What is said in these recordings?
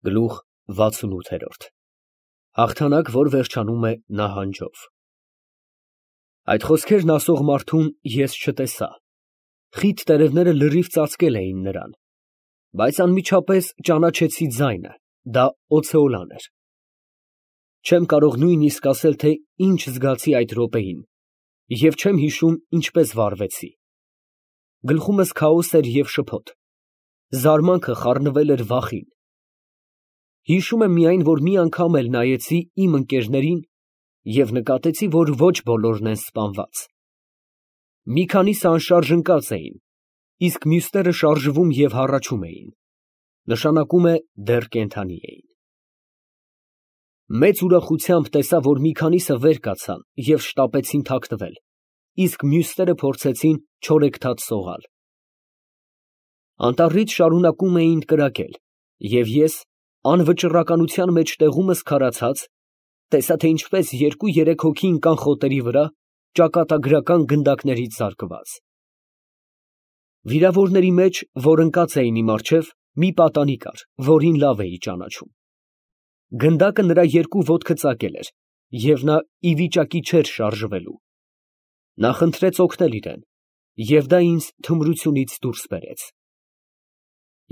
Գլուխ 68 Հաղթանակ, որ վերջանում է նահանջով։ Այդ խոսքերն ասող մարդուն ես չտեսա, խիտ տերևները լրիվ ծածկել էին նրան, բայց անմիջապես ճանաչեցի ձայնը, դա Օցեոլան էր։ Չեմ կարող նույնիսկ ասել, թե ինչ զգացի այդ րոպեին, և չեմ հիշում ինչպես վարվեցի։ Գլխումս քաոս էր և շփոթ, զարմանքը խառնվել էր վախին։ Հիշում եմ միայն, որ մի անգամ էլ նայեցի իմ ընկերներին և նկատեցի, որ ոչ բոլորն են սպանված։ Մի քանիսը անշարժ ընկած էին, իսկ մյուսները շարժվում և հառաչում էին, նշանակում է դեռ կենդանի էին։ Մեծ ուրախությամբ տեսա, որ մի քանիսը վեր կացան և շտապեցին թաքնվել, իսկ մյուսները փորձեցին չորեքթաթ սողալ։ Անտառից շարունակում էին կրակել, և ես, անվճռականության մեջ տեղումս քարացած, տեսա, թե ինչպես երկու֊երեք հոգի ընկան խոտերի վրա, ճակատագրական գնդակներից զարկված։ Վիրավորների մեջ, որ ընկած էին իմ առջև, մի պատանի կար, որին լավ էի ճանաչում։ Գնդակը նրա երկու ոտքը ծակել էր, և նա ի վիճակի չէր շարժվելու։ Նա խնդրեց օգնել իրեն, և դա ինձ թմրությունից դուրս բերեց։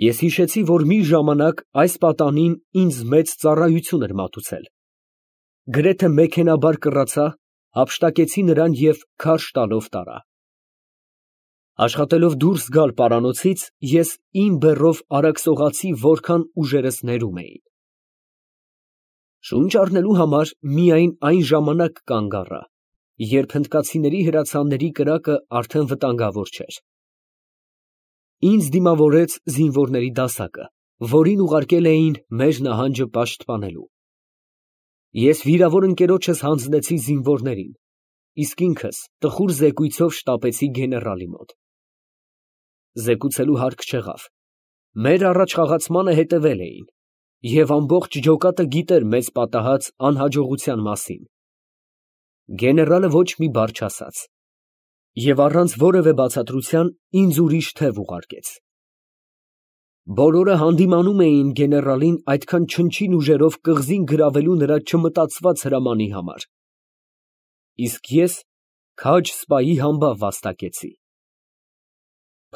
Ես հիշեցի, որ մի ժամանակ այս պատանին ինձ մեծ ծառայություն էր մատուցել։ Գրեթե մեքենայաբար կռացա, հափշտակեցի նրան և քարշ տալով տարա։ Աշխատելով դուրս գալ պարանոցից, ես իմ բեռով արագ սողացի, որքան ուժերս ներում էին։ Շունչ առնելու համար միայն այն ժամանակ կանգ առա, երբ հնդկացիների հրացանների կրակը արդեն վտանգավոր չէր։ Ինձ դիմավորեց զինվորների դասակը, որին ուղարկել էին մեր նահանջը պաշտպանելու։ Ես վիրավոր ընկերոջս հանձնեցի զինվորներին, իսկ ինքս տխուր զեկույցով շտապեցի գեներալի մոտ։ Զեկուցելու հարկ չեղավ, մեր առաջխաղացմանը հետևել էին, և ամբողջ ջոկատը գիտեր մեզ պատահած անհաջողության մասին։ Գեներալը ոչ մի բառ չասաց և առանց որևէ բացատրության ինձ ուրիշ թև ուղարկեց։ Բոլորը հանդիմանում էին գեներալին այդքան չնչին ուժերով կղզին գրավելու նրա չմտածված հրամանի համար, իսկ ես քաջ սպայի համբավ վաստակեցի։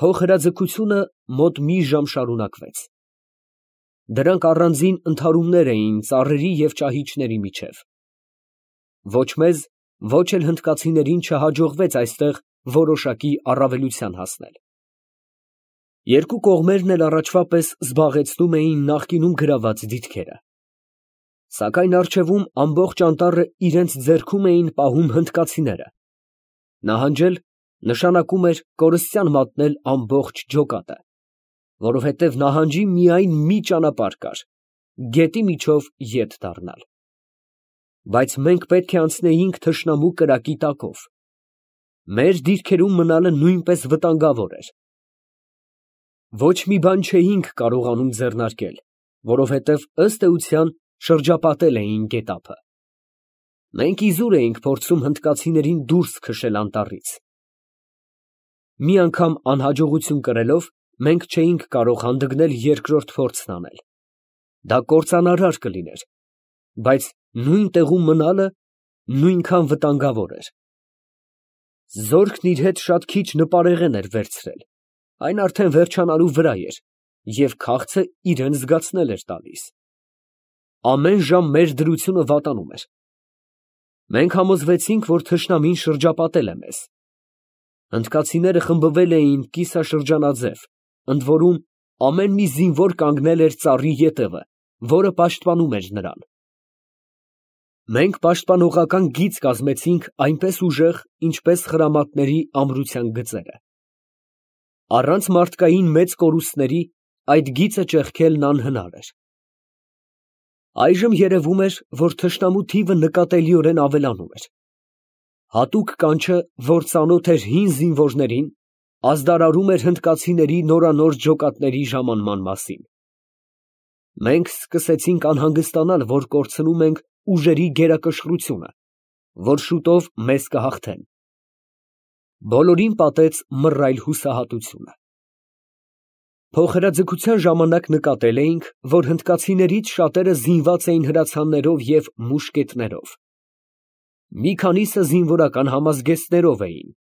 Փոխհրաձգությունը մոտ մի ժամ շարունակվեց։ Դրանք առանձին ընդհարումներ էին ծառերի և ճահիճների միջև։ Ոչ մեզ, ոչ էլ հնդկացիներին չհաջողվեց այստեղ որոշակի առավելության հասնել։ Երկու կողմերն էլ առաջվա պես զբաղեցնում էին նախկինում գրաված դիրքերը։ Սակայն առջևում ամբողջ անտառը իրենց ձեռքում էին պահում հնդկացիները։ Նահանջել նշանակում էր կորստյան մատնել ամբողջ ջոկատը, որովհետև նահանջի միայն մի ճանապարհ կար՝ գետի միջով ետ դառնալ։ Բայց մենք պետք է անցնեինք թշնամու կրակի տակով։ Մեր դիրքերում մնալը նույնպես վտանգավոր էր։ Ոչ մի բան չէինք կարողանում ձեռնարկել, որովհետև ըստ էության շրջապատել էին գետափը։ Մենք իզուր էինք փորձում հնդկացիներին դուրս քշել անտառից։ Մի անգամ անհաջողություն կրելով, մենք չէինք կարող հանդգնել երկրորդ փորձն անել։ Դա կործանարար կլիներ, բայց նույն տեղում մնալը նույնքան վտանգավոր էր։ Զորքն իր հետ շատ քիչ նպարեղեն էր վերցրել, այն արդեն վերջանալու վրա էր, և քաղցը իրան զգացնել էր տալիս։ Ամեն ժամ մեր դրությունը վատանում էր։ Մենք համոզվեցինք, որ թշնամին շրջապատել է մեզ։ Հնդկացիները խմբվել էին կիսաշրջանաձև, ընդ որում ամեն մի զինվոր կանգնել էր ծառի ետևը, որը պաշտպանում էր նրան։ Մենք պաշտպանողական գիծ կազմեցինք այնպես ուժեղ, ինչպես խրամատների ամրության գծերը։ Առանց մարդկային մեծ կորուստների այդ գիծը ճեղքելն անհնար էր։ Այժմ երևում էր, որ թշնամու թիվը նկատելիորեն ավելանում էր։ Հատուկ կանչը, որ ծանոթ էր հին զինվորներին, ազդարարում էր հնդկացիների նորանոր ջոկատների ժամանման մասին։ Մենք սկսեցինք անհանգստանալ, որ կորցնում ենք ուժերի գերակշռությունը, որ շուտով մեզ կհաղթեն։ Բոլորին պատեց մռայլ հուսահատությունը։ Փոխհրաձգության ժամանակ նկատել էինք, որ հնդկացիներից շատերը զինված էին հրացաններով և մուշկետներով։ Մի քանիսը զինվորական համազգեստներով էին։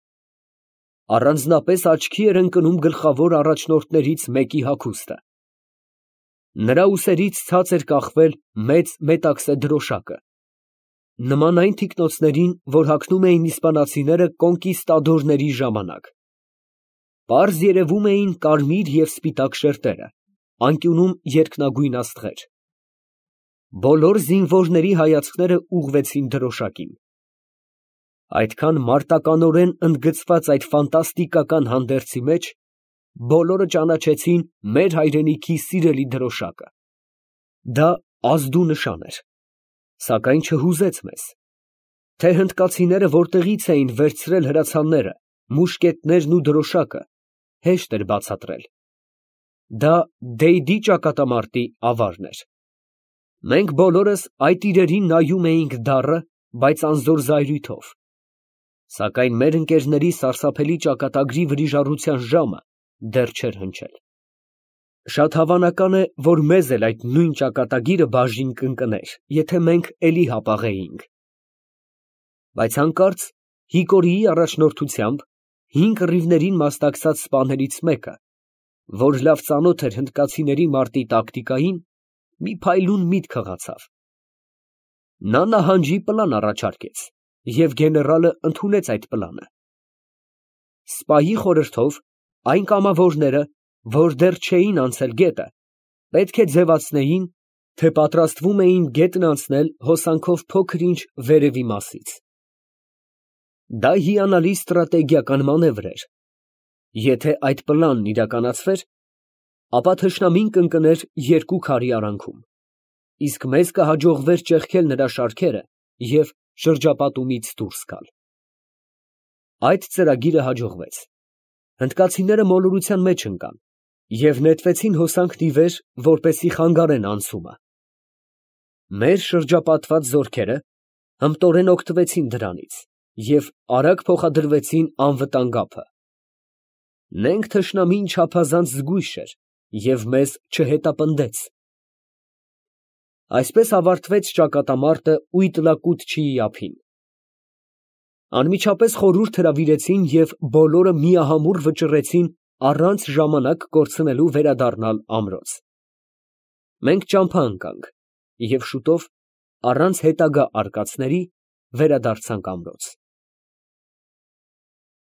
Առանձնապես աչքի էր ընկնում գլխավոր առաջնորդներից մեկի հագուստը։ Նրա ուսերից ցած էր կախվել մեծ մետաքսե դրոշակը, նման այն թիկնոցներին, որ հագնում էին իսպանացիները կոնկիստադորների ժամանակ։ Պարզ երևում էին կարմիր և սպիտակ շերտերը, անկյունում երկնագույն աստղեր։ Բոլոր զինվորների հայացքները ուղղվեցին դրոշակին։ Այդքան մարտականորեն ընդգծված այդ ֆանտաստիկական հանդերձի մեջ բոլորը ճանաչեցին մեր հայրենիքի սիրելի դրոշակը։ Դա ազդու նշան էր, սակայն չհուզեց մեզ, թե հնդկացիները որտեղից էին վերցրել հրացանները, մուշկետներն ու դրոշակը, հեշտ էր բացատրել։ Դա Դեյդի ճակատամարտի ավարն էր։ Մենք բոլորս այդ իրերին նայում էինք դառը, բայց անզոր զայրույթով, սակայն մեր ընկերների սարսափելի ճակատագրի վրիժառության ժամը դեռ չէր հնչել։ Շատ հավանական է, որ մեզ էլ այդ նույն ճակատագիրը բաժին կընկներ, եթե մենք էլի հապաղեինք։ Բայց հանկարծ Հիկորիի առաջնորդությամբ 5 կռիվներին մասնակցած սպաներից մեկը, որ լավ ծանոթ էր հնդկացիների մարտի տակտիկային, մի փայլուն միտք հղացավ։ Նա նահանջի պլան առաջարկեց, և գեներալը ընդունեց այդ պլանը։ Սպայի խորհրդով այն կամավորները, որ դեռ չէին անցել գետը, պետք է ձևացնեին, թե պատրաստվում էին գետն անցնել հոսանքով փոքր-ինչ վերևի մասից։ Դա հիանալի ստրատեգիական մանևր էր։ Եթե այդ պլանն իրականացվեր, ապա թշնամին կընկներ 2 քարի արանքում, իսկ մեզ կհաջողվեր ճեղքել նրա շարքերը և շրջապատումից դուրս գալ։ Այդ ծրագիրը հաջողվեց։ Հնդկացիները մոլորության մեջ ընկան և նետվեցին հոսանքն ի վեր, որպեսզի խանգարեն անցումը։ Մեր շրջապատված զորքերը հմտորեն օգտվեցին դրանից և արագ փոխադրվեցին անվտանգ ափը։ Նենգ թշնամին չափազանց զգույշ էր և մեզ չհետապնդեց։ Այսպես ավարտվեց ճակատամարտը Ուիտլակուտչիի ափին։ Անմիջապես խորհուրդ հրավիրեցին և բոլորը միահամուռ վճռեցին առանց ժամանակ կորցնելու վերադառնալ ամրոց։ Մենք ճամփա ընկանք և շուտով, առանց հետագա արկածների, վերադարձանք ամրոց։